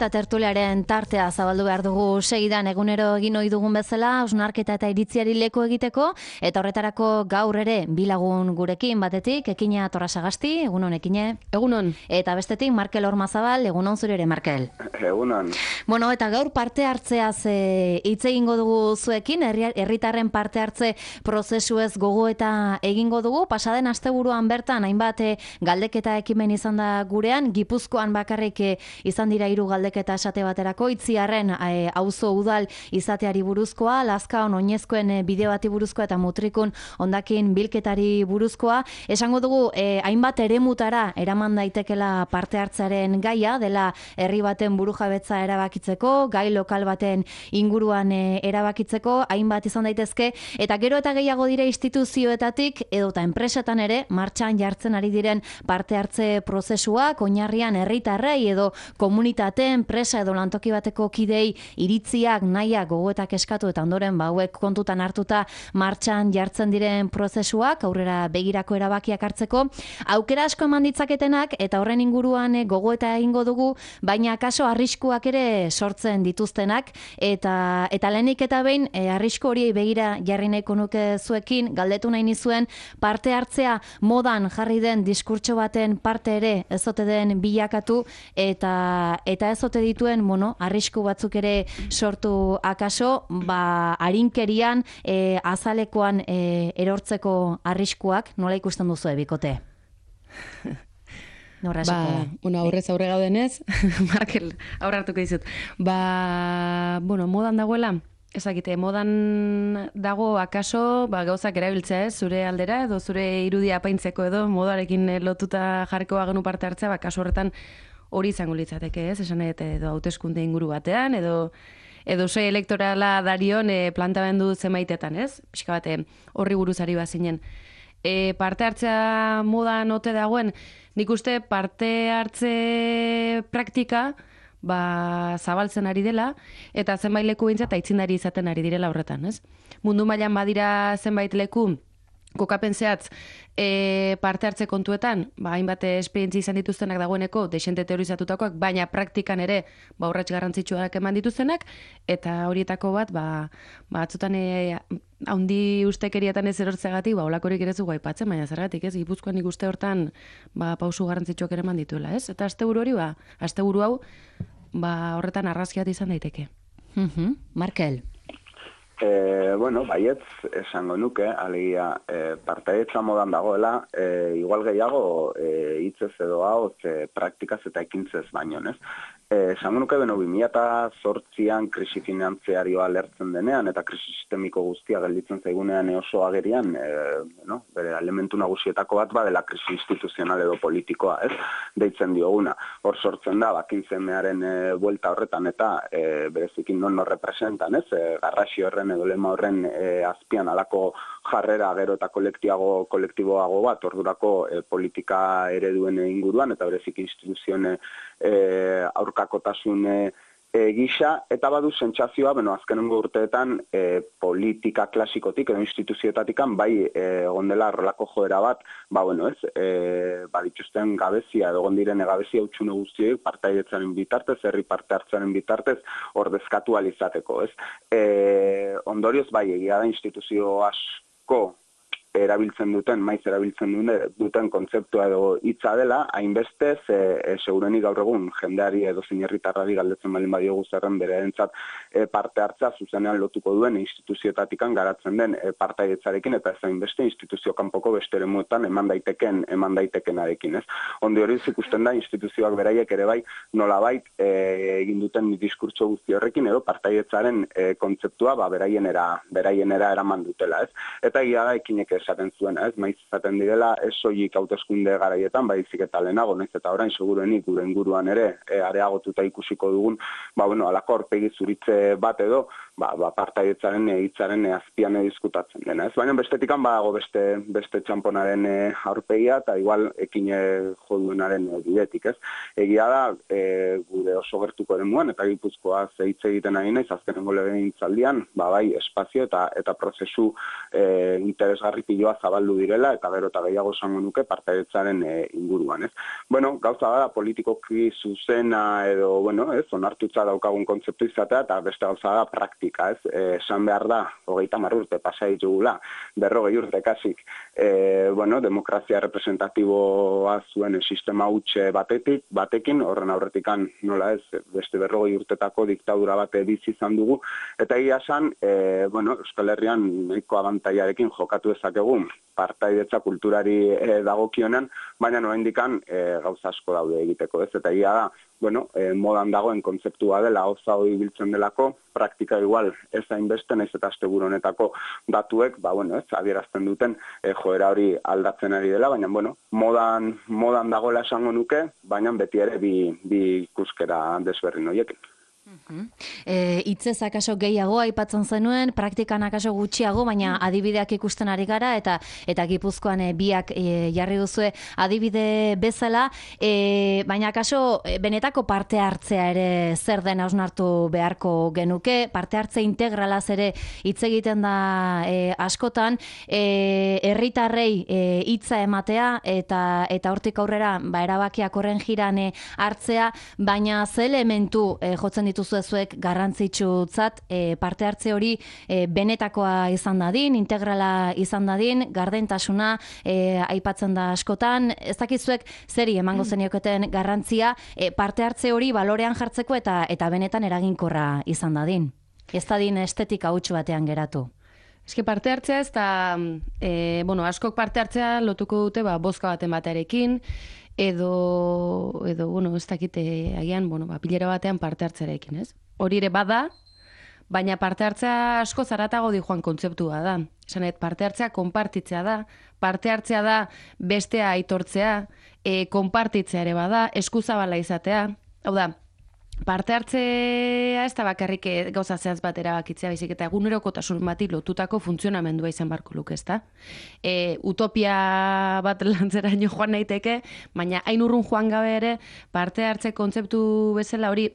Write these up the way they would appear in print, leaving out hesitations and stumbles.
Eta tertuliaren tartea zabaldu behar dugu segidan egunero egin ohi dugun bezala, hausnarketa eta iritziari leku egiteko, eta horretarako gaur ere bilagun gurekin batetik, Ekina Torrasagasti, egunon Ekine. Egunon. Eta bestetik Markel Ormazabal, egunon zure ere Markel. Egunon. Bueno, eta gaur parte hartzeaz hitz egingo dugu zuekin, herritarren parte hartze prozesuez gogoeta egingo dugu, pasaden asteburuan bertan hainbat galdeketa ekimen izan da gurean, Gipuzkoan bakarrik izan dira 3 galdeketa esate baterako, Itziarren auzo udal izateari buruzkoa, Lazkaon oinezkoen bide bati buruzkoa eta Mutrikun hondakin bilketari buruzkoa. Esango dugu hainbat eremutara eraman daitekela parte hartzearen gaia, dela herri baten burujabetza erabakitzeko, gai lokal baten inguruan erabakitzeko, hainbat izan daitezke, eta gero eta gehiago dire instituzioetatik edota enpresetan ere martxan jartzen ari diren parte hartze prozesuak, oinarrian herritarrei edo komunitate, enpresa edo lantoki bateko kidei iritziak, nahiak, gogoetak eskatu eta ondoren hauek kontutan hartuta martxan jartzen diren prozesuak, aurrera begirako erabakiak hartzeko, aukera asko eman ditzaketenak eta horren inguruan gogoeta egingo dugu, baina kaso arriskuak ere sortzen dituztenak, eta lehenik eta behin arrisku hori begira jarri nahiko nuke zuekin, galdetu nahi nizuen parte hartzea modan jarri den diskurtso baten parte ere ez ote den bilakatu eta ez ote dituen arrisku batzuk ere sortu akaso, arinkerian azalekoan erortzeko arriskuak, nola ikusten duzu bikote? Aurrez aurre gaudenez, Markel, aurre hartuko dizut. Modan dagoela, ezakite, modan dago akaso, gauzak erabiltzea zure aldera, edo zure irudia apaintzeko edo, modarekin lotuta jarriko bagenu parte hartzea, kasu horretan hori izango litzateke, esan edo hauteskunde inguru batean, edo sei elektorala darion plantamendu zenbaitetan, pixka bate horri buruzari bazinen. Parte hartzea modan ote dagoen, nik uste parte hartze praktika zabaltzen ari dela, eta zenbait leku bintzat aitzindari izaten ari direla horretan, Mundu mailan badira zenbait leku, kokapen zehatz parte hartze kontuetan, hainbat esperientzia izan dituztenak dagoeneko, desente teorizatutakoak, baina praktikan ere urrats garrantzitsuak eman dituztenak, eta horietako bat, batzutan haundi ustekeriatan ez erortzeagatik, holakorik ere zugu aipatzen, baina zergatik, Gipuzkoan nik uste hortan pausu garrantzitsuak ere eman dituela, Eta asteburu hori, asteburu hau, horretan arrazkiat izan daiteke. Markel. Baietz esango nuke, alegia partaidetza modan dagoela, igual gehiago hitzez edo hau praktikaz eta ekintzez baino, esango nuke 2008an krisi finanziarioa lertzen denean eta krisi sistemiko guztia gelditzen zaigunean oso agerian, bere elementu nagusietako bat dela krisi instituzional edo politikoa, deitzen dioguna. Hor sortzen da, bakintzemearen buelta horretan eta berezikin non representan, garrasi horren edo lema horren azpian alako jarrera gero eta kolektiboago bat, ordurako politika ereduen inguruan eta berezik instituzioen aurkakotasun gisa, eta badu sentsazioa, azkenengo urteetan politika klasikotik edo instituzioetatikan egon dela horrelako joera bat, dituzten gabezia edo egon diren gabezia utxune guztiek partaidetzaren bitartez, herri parte hartzaren bitartez ordezkatu ahal izateko, ondorioz egia da instituzio asko maiz erabiltzen duten kontzeptua edo hitza dela, hainbeste, segurenik gaur egun jendeari edo zinerritarrari galdetzen balin badiogu zerren bererentzat parte hartzea zuzenean lotuko duen instituzioetatikan garatzen den partaidetzarekin eta ez hainbeste instituzio kanpoko beste eremuetan eman daitekenarekin, Ondi hori ikusten da instituzioak beraiek ere nolabait egin duten diskurtso guzti horrekin edo partaidetzaren kontzeptua beraienera eraman dutela, Eta egia da Ekinek esaten zuen, maiz izaten direla, ez soilik hauteskunde garaietan, baizik eta lehenago, naiz eta orain segurenik gure inguruan ere areagotuta ikusiko dugun, alako aurpegi zuritze bat edo, partaidetzaren hitzaren azpian diskutatzen dena, Baina bestetikan badago beste txamponaren aurpegia eta igual Ekine joduenaren bidetik, Egia da, gure oso gertuko eremuan eta Gipuzkoa hitz egiten ari naiz azkenengo legegintzaldian, espazio eta prozesu interesgarri piloa zabaldu direla, eta gero eta gehiago esango nuke partaidetzaren inguruan, ez? Bueno, gauza da politikoki zuzena edo, bueno, ez, onartutza daukagun kontzeptu izatea, eta beste gauza da praktika, ez? Esan behar da, 30 urte pasa ditugula, 40 urte kasik, bueno, demokrazia representatiboa zuen sistema hutse batekin, horren aurretikan nola ez, beste 40 urtetako diktadura bate bizi izan dugu, eta egia esan, bueno, Euskal Herrian nahiko abantaiarekin jokatu dezakegu partaidetza kulturari dagokionen, baina oraindikan gauza asko daude egiteko, ez? Eta egia da, bueno, modan dagoen kontzeptua dela, gauza hori biltzen delako, praktika igual ez hainbeste, naiz eta asteburu honetako datuek, bueno, ez, adierazten duten joera hori aldatzen ari dela, baina, bueno, modan dagoela esango nuke, baina beti ere bi ikuskera desberdin horiekin. Hitzez akaso gehiago aipatzen zenuen, praktikan akaso gutxiago, baina adibideak ikusten ari gara, eta Gipuzkoan biak jarri duzue adibide bezala, baina akaso benetako parte hartzea ere zer den hausnartu beharko genuke, parte hartze integralaz ere hitz egiten da askotan, herritarrei hitza ematea, eta hortik aurrera erabakiak horren jiran hartzea, baina ze elementu jotzen dituzuezuek garrantzitsutzat parte hartze hori benetakoa izan dadin, integrala izan dadin, gardentasuna aipatzen da askotan, ez dakizuek zeri emango zenioketen garrantzia parte hartze hori balorean jartzeko eta benetan eraginkorra izan dadin. Ez dadin estetika huts batean geratu. Eske parte hartzea ez da, bueno, askok parte hartzea lotuko dute bozka baten batearekin, edo bueno, ez dakite agian, bueno, pilera batean parte hartzearekin, ez? Hori ere bada, baina parte hartzea asko zaratago di joan kontzeptua da. Esanet, parte hartzea konpartitzea da, parte hartzea da bestea aitortzea, konpartitzea ere bada, eskuzabala izatea. Hau da, parte hartzea ez da bakarrik gauza zehaz bat erabakitzea, baizik eta egunerokotasun bati lotutako funtzionamendua izan barko luke, ezta? Utopia bat lantzeraino joan naiteke, baina hain urrun joan gabe ere parte hartze kontzeptu bezala hori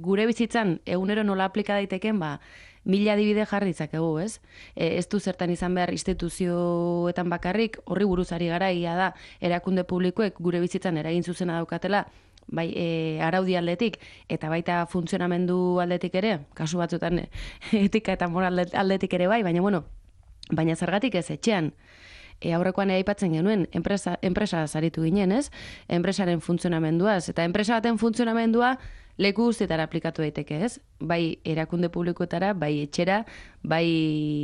gure bizitzan egunero nola aplika daiteken, mila adibide jarri ditzakegu, ez? Ez du zertan izan behar instituzioetan bakarrik, horri buruzari gara, ia da, erakunde publikoek gure bizitzan eragin zuzena daukatela, bai, araudi aldetik, eta baita funtzionamendu aldetik ere, kasu batzutan etika eta moral aldetik ere bai, baina zergatik ez etxean. Aurrekoan aipatzen genuen, enpresa zaritu ginen, ez? Enpresaren funtzionamenduaz, eta enpresa baten funtzionamendua leku guztietara aplikatu daiteke, ez? Bai erakunde publikoetara, bai etxera, bai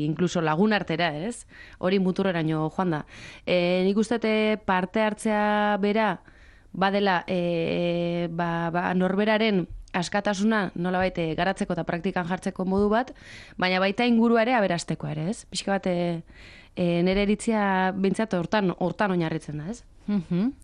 inkluso lagun artera, ez? Hori muturreraino joan da. Nik uste parte hartzea bera, badela norberaren askatasuna nolabait garatzeko eta praktikan jartzeko modu bat, baina baita ingurua ere aberasteko ere, ez? Pixka bat nire eritzia bintzat hortan oinarritzen da, ez?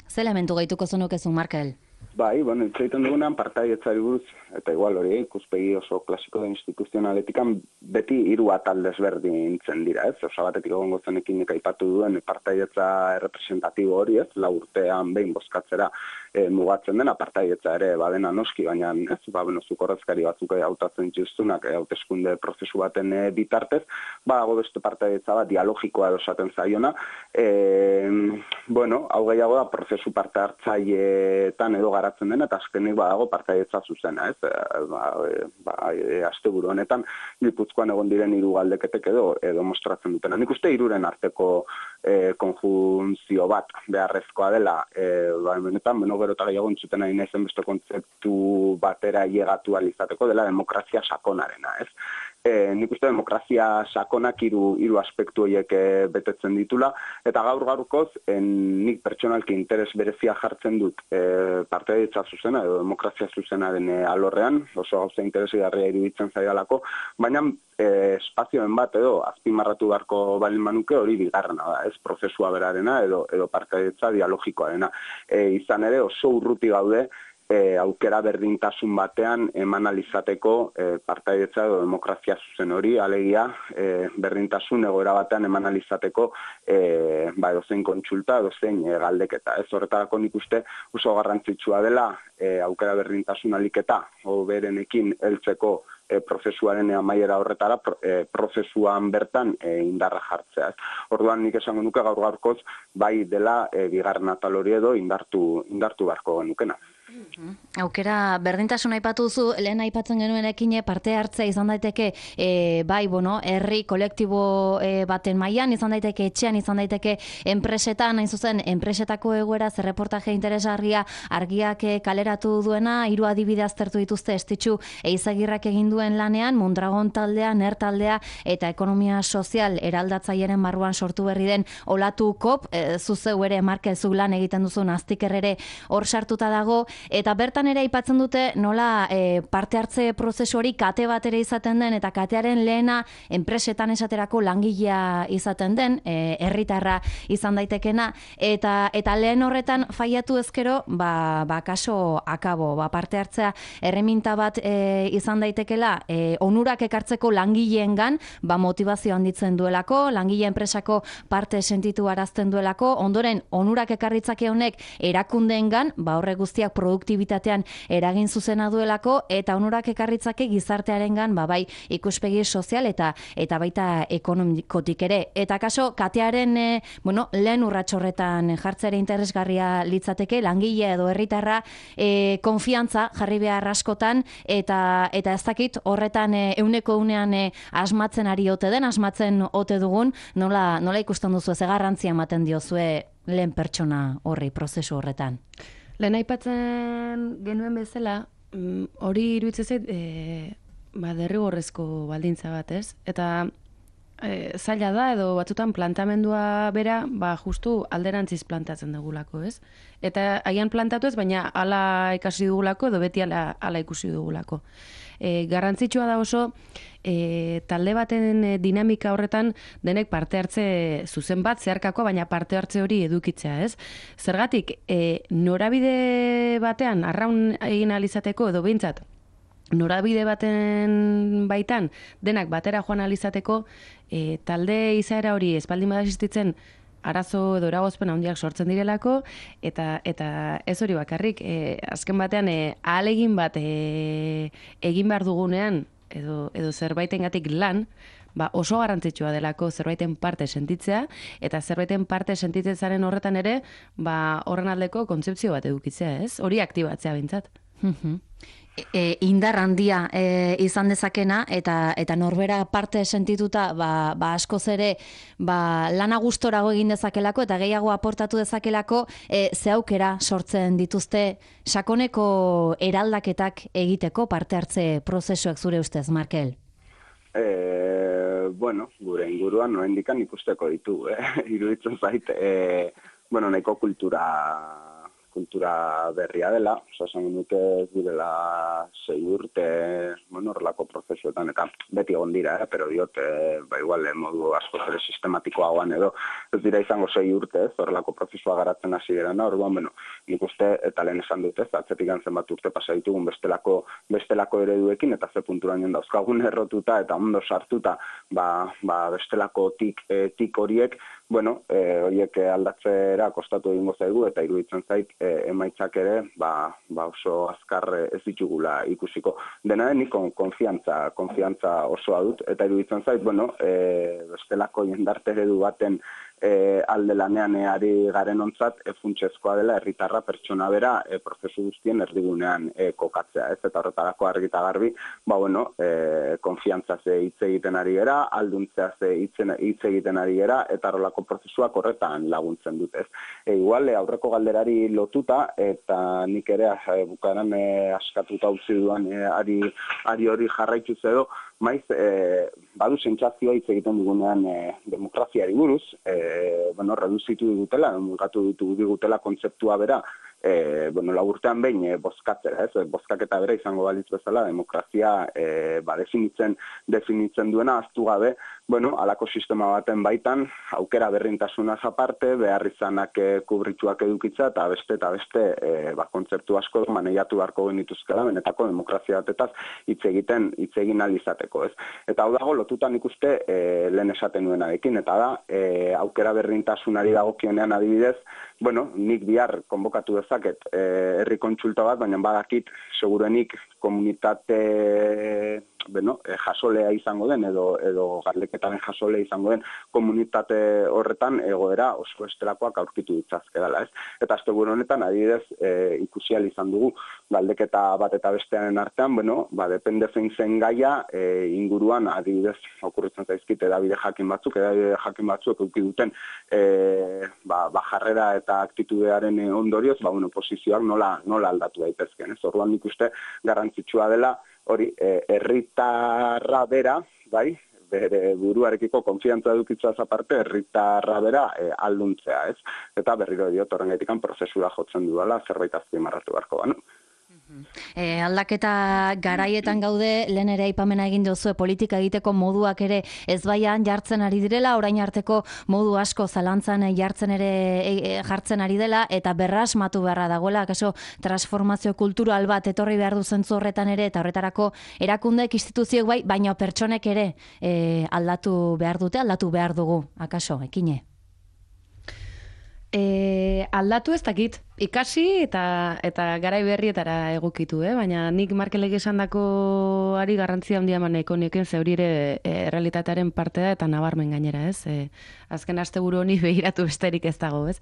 Ze elementu gehituko zenukezu, Markel? Bai, bueno, itzaiten dugunean partaidetzari buruz, eta igual hori, ikuspegi oso klasiko da instituzionaletikan beti hiru atal desberdintzen dira, ez? Osa batetik egongo zenekin aipatu duen partaidetza representatibo hori, ez? 4 urtean behin bozkatzera mugatzen dena, partaidetza ere badena noski, baina ez? Zuk ordezkari batzuk hautatzen dituztunak hauteskunde prozesu baten bitartez, badago beste partaidetza bat dialogikoa edo esaten zaiona, bueno, hau gehiago da prozesu parte hartzaileetan edo garatzen dena, eta azkenik badago partaidetza zuzena, ez? Asteburu honetan Gipuzkoan egon diren 3 galdeketek edo mostratzen dutena. Nik uste 3 arteko konjunzio bat beharrezkoa dela, benetan, gero eta gehiago entzuten ari naizen beste kontzeptu batera llegatu alizateko dela demokrazia sakonarena, ez? Nik uste demokrazia sakonak hiru aspektu horiek betetzen ditula, eta gaur-gaurkoz nik pertsonalki interes berezia jartzen dut partaidetza zuzena edo demokrazia zuzenaren alorrean, oso gauza interesgarria iruditzen zaidalako, baina espazioen bat edo azpimarratu beharko balin manuke hori bigarrena da, ez? Prozesua berarena edo partaidetza dialogikoarena. Izan ere oso urruti gaude aukera berdintasun batean eman alizateko partaidetza edo demokrazia zuzen hori, alegia berdintasun egoera batean eman alizateko edozein kontsulta, edozein galdeketa. Ez horretarako nik uste oso garrantzitsua dela aukera berdintasun aliketa berenekin heltzeko prozesuaren amaiera horretara prozesuan bertan indarra jartzea. Orduan nik esango nuke gaur-gaurkoz bai dela bigarren atal hori edo indartu beharko genukena. Aukera berdintasun aipatu duzu, lehen aipatzen genuenekin parte hartzea izan daiteke bai, herri kolektibo baten mailan izan daiteke, etxean izan daiteke, enpresetan, hain zuzen, enpresetako egoera zerreportaje interesgarria argiak kaleratu duena, 3 adibide aztertu dituzte Estitxu Eizagirrak egin duen lanean, Mondragon taldea, NER taldea eta ekonomia sozial eraldatzailearen barruan sortu berri den Olatu Kop, zuzeu ere Markel zuk lan egiten duzun Aztikerrere hor sartuta dago. Eta bertan ere aipatzen dute nola parte hartze prozesu hori kate bat ere izaten den, eta katearen lehena enpresetan esaterako langilea izaten den, herritarra izan daitekena, eta lehen horretan faiatu ezkero, kaso akabo, parte hartzea erreminta bat izan daitekela, onurak ekartzeko langileengan, motivazio handitzen duelako, langile enpresako parte sentitu arazten duelako, ondoren onurak ekarritzake honek erakundeengan, horrek guztiak produktibitatean eragin zuzena duelako, eta onurak ekarritzake gizartearengan bai ikuspegi sozial eta baita ekonomikotik ere. Eta kaso, katearen lehen urrats horretan jartzera interesgarria litzateke, langile edo herritarra konfiantza jarri behar askotan, eta ez dakit horretan euneko unean asmatzen ari ote den, asmatzen ote dugun, nola ikusten duzu, ze garrantzia ematen diozue lehen pertsona horri, prozesu horretan? Lehen aipatzen genuen bezala, hori iruditzen zait derrigorrezko baldintza bat, ez? Eta zaila da, edo batzutan plantamendua bera, justu alderantziz plantatzen dugulako, ez? Eta haian plantatu ez, baina hala ikasi dugulako, edo beti hala ikusi dugulako. Garrantzitsua da oso, talde baten dinamika horretan denek parte hartze zuzen bat zeharkako, baina parte hartze hori edukitzea, ez? Zergatik, norabide batean arraun egin alizateko, edo behintzat, norabide baten baitan denak batera joan alizateko, talde izaera hori espaldin bada existitzen arazo edo eragozpen handiak sortzen direlako, eta ez hori bakarrik, azken batean ahalegin bat egin behar dugunean, edo zerbaitengatik lan, oso garrantzitsua delako zerbaiten parte sentitzea, eta zerbaiten parte sentitzen zaren horretan ere, horren aldeko kontzeptzio bat edukitzea, ez? Hori aktibatzea bintzat. Indar handia izan dezakena, eta norbera parte sentituta askoz ere lana gustorago egin dezakelako eta gehiago aportatu dezakelako, ze aukera sortzen dituzte sakoneko eraldaketak egiteko parte hartze prozesuak zure ustez, Markel? Gure inguruan noendikan ikusteko ditu, iruditzen zait, nahiko kultura berria dela, esan nuke direla 6 urte, horrelako prozesuetan, eta beti egon dira, pero diot, igual modu asko ere sistematikoagoan edo, ez dira izango 6 urte, horrelako prozesua garatzen hasi gerana, orduan, nik uste, eta lehen esan dut ez, atzetik gantzen bat urte pasa ditugun bestelako ereduekin, eta ze punturaino dauzkagun errotuta, eta ondo sartuta, bestelako tik horiek, horiek aldatzera kostatu egingo zaigu, eta iruditzen zait, emaitzak ere, oso azkar ez ditugula ikusiko. Dena den, nik konfiantza osoa dut, eta iruditzen zait, bestelako jendarte eredu baten alde lanean ari garen ontzat, funtsezkoa dela herritarra pertsona bera prozesu guztien erdigunean kokatzea, ez? Eta horretarako argi eta garbi, konfiantza ze hitz egiten ari gera, alduntzea ze hitz egiten ari gera, eta horrelako prozesuak horretan laguntzen dut, ez? Igual, aurreko galderari lotuta, eta nik ere bukaran askatuta utzi duan ari hori jarraituz edo, maiz, badu sentsazioa hitz egiten dugunean demokraziari buruz, reduzitu digutela, mugatu digutela kontzeptua bera bueno, laburtean behin bozkatzera, ez? Bozkaketa bera izango balitz bezala, demokrazia definitzen duena, aztu gabe, bueno, alako sistema baten baitan, aukera berrintasunaz aparte, behar izanak kubrituak edukitza, eta beste, kontzeptu asko maneiatu beharko genituzkela, benetako demokrazia batetaz hitz egin alizateko, ez? Eta hau dago, lotutan ikuste lehen esaten nuenarekin, eta da, aukera berrintasunari dagokionean adibidez, bueno, nik bihar konbokatu dezaket herri kontsulta bat, baina badakit segurenik komunitate jasolea izango den edo galdeketaren jasolea izango den komunitate horretan egoera oso estelakoak aurkitu ditzazke dela, ez? Eta asteburu honetan adibidez ikusi ahal izan dugu galdeketa bat eta bestearen artean, bueno, depende zein zen gaia inguruan adibidez okurritzen zaizkit edabide jakin batzuk eduki duten jarrera eta aktitudearen ondorioz, posizioak nola aldatu daitezken, ez? Orduan nik uste garrantzitsua dela hori, herritarra bera, bai, bere buruarekiko konfiantza edukitzaz aparte, herritarra bera alduntzea, ez? Eta berriro diot horrengatikan prozesura jotzen dudala, zerbait azpimarratu beharko banu. Aldaketa garaietan gaude, lehen ere aipamena egin duzue politika egiteko moduak ere ezbaian jartzen ari direla, orain arteko modu asko zalantzan jartzen jartzen ari dela, eta berrasmatu beharra dagoela, kaso transformazio kultural bat etorri behar du zentzu horretan ere, eta horretarako erakundeek, instituzioek bai, baina pertsonek ere aldatu behar dute, aldatu behar dugu, akaso, ekine? Aldatu ez dakit, ikasi eta garai berrietara egokitu, baina nik Markelek esandako ari garrantzia handia emaneko nioken, ze hori ere realitatearen parte da eta nabarmen gainera, ez? Azken asteburu honi begiratu besterik ez dago, ez?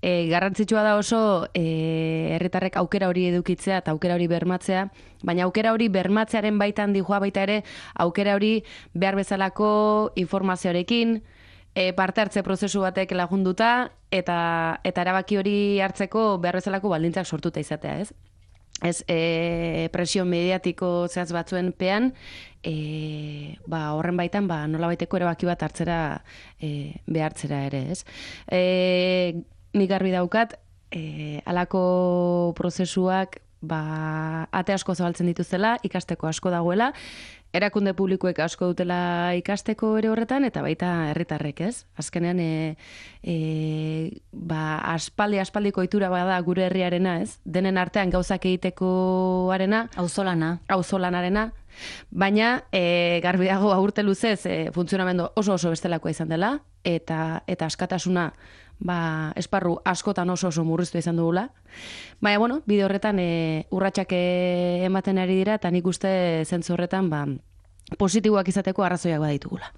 Garrantzitsua da oso herritarrek aukera hori edukitzea eta aukera hori bermatzea, baina aukera hori bermatzearen baitan dijoa baita ere, aukera hori behar bezalako informazioarekin, parte hartze prozesu batek lagunduta eta erabaki hori hartzeko behar bezalako baldintzak sortuta izatea, ez? Ez presio mediatiko zehaz batzuen pean, horren baitan nola baiteko erabaki bat hartzera behartzera ere, ez? Nik garbi daukat, halako prozesuak ate asko zabaltzen dituzela, ikasteko asko dagoela, erakunde publikoek asko dutela ikasteko ere horretan, eta baita herritarrek, ez? Azkenean, aspaldiko ohitura bada gure herriarena, ez? Denen artean gauzak egiteko arena. Auzolanarena. Baina, garbi dago urte luzez, funtzionamendu oso bestelakoa izan dela, eta askatasuna esparru askotan oso murriztu izan dugula. Baina, bide horretan urratsak ematen ari dira, eta nik uste zentzu horretan positiboak izateko arrazoiak baditugula.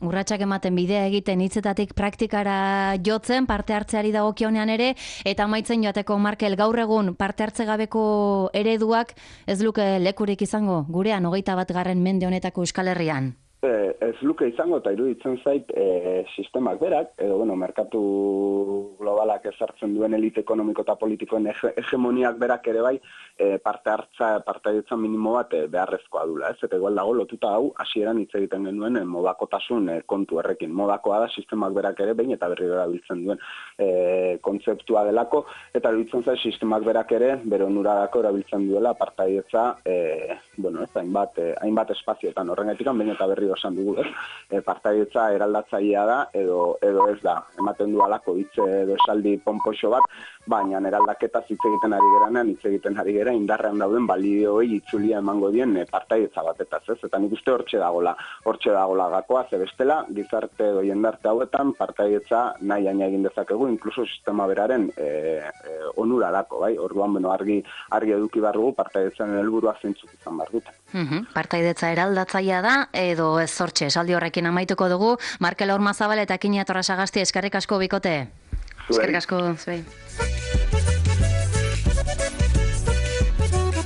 Urratsak ematen, bidea egiten, hitzetatik praktikara jotzen, parte hartzeari dagokionean ere, eta amaitzen joateko, Markel, gaur egun parte hartze gabeko ereduak ez luke lekurik izango gurean 21. mende honetako Euskal Herrian? Ez luke izango, eta iruditzen zait sistemak berak, edo merkatu globalak ezartzen duen elite ekonomiko eta politikoen hegemoniak berak ere bai, partaidetza minimo bat beharrezkoa dula, ez? Eta igual dago lotuta hau, hasieran hitz egiten genuen modakotasun kontu errekin. Modakoa da sistemak berak ere behin eta berriro erabiltzen duen kontzeptua delako, eta iruditzen zait sistemak berak ere bere onurarako erabiltzen duela partaidetza hainbat espazioetan horrengatik behin eta berriro esan dugu, partaidetza eraldatzailea da edo ez da. Ematen du alako hitz edo esaldi ponpoxo bat, baina eraldaketaz hitz egiten ari geranean, hitz egiten ari gera indarrean dauden balioei itzulia emango dien partaidetza batetaz, ez? Eta nik uste hortxe dagola gakoa, ze bestela, gizarte edo jendarte hauetan partaidetza nahi egin dezakegu, inkluso sistema beraren onurarako, bai? Orduan, argi eduki behar dugu partaidetzaren helburua zeintzuk izan behar dute. Partaidetza eraldatzailea da, edo ez zortxe, esaldi horrekin amaituko dugu. Markel Ormazabal eta Kini Atorrasagasti, eskerrik asko bikote. Eskerrik asko, zuei.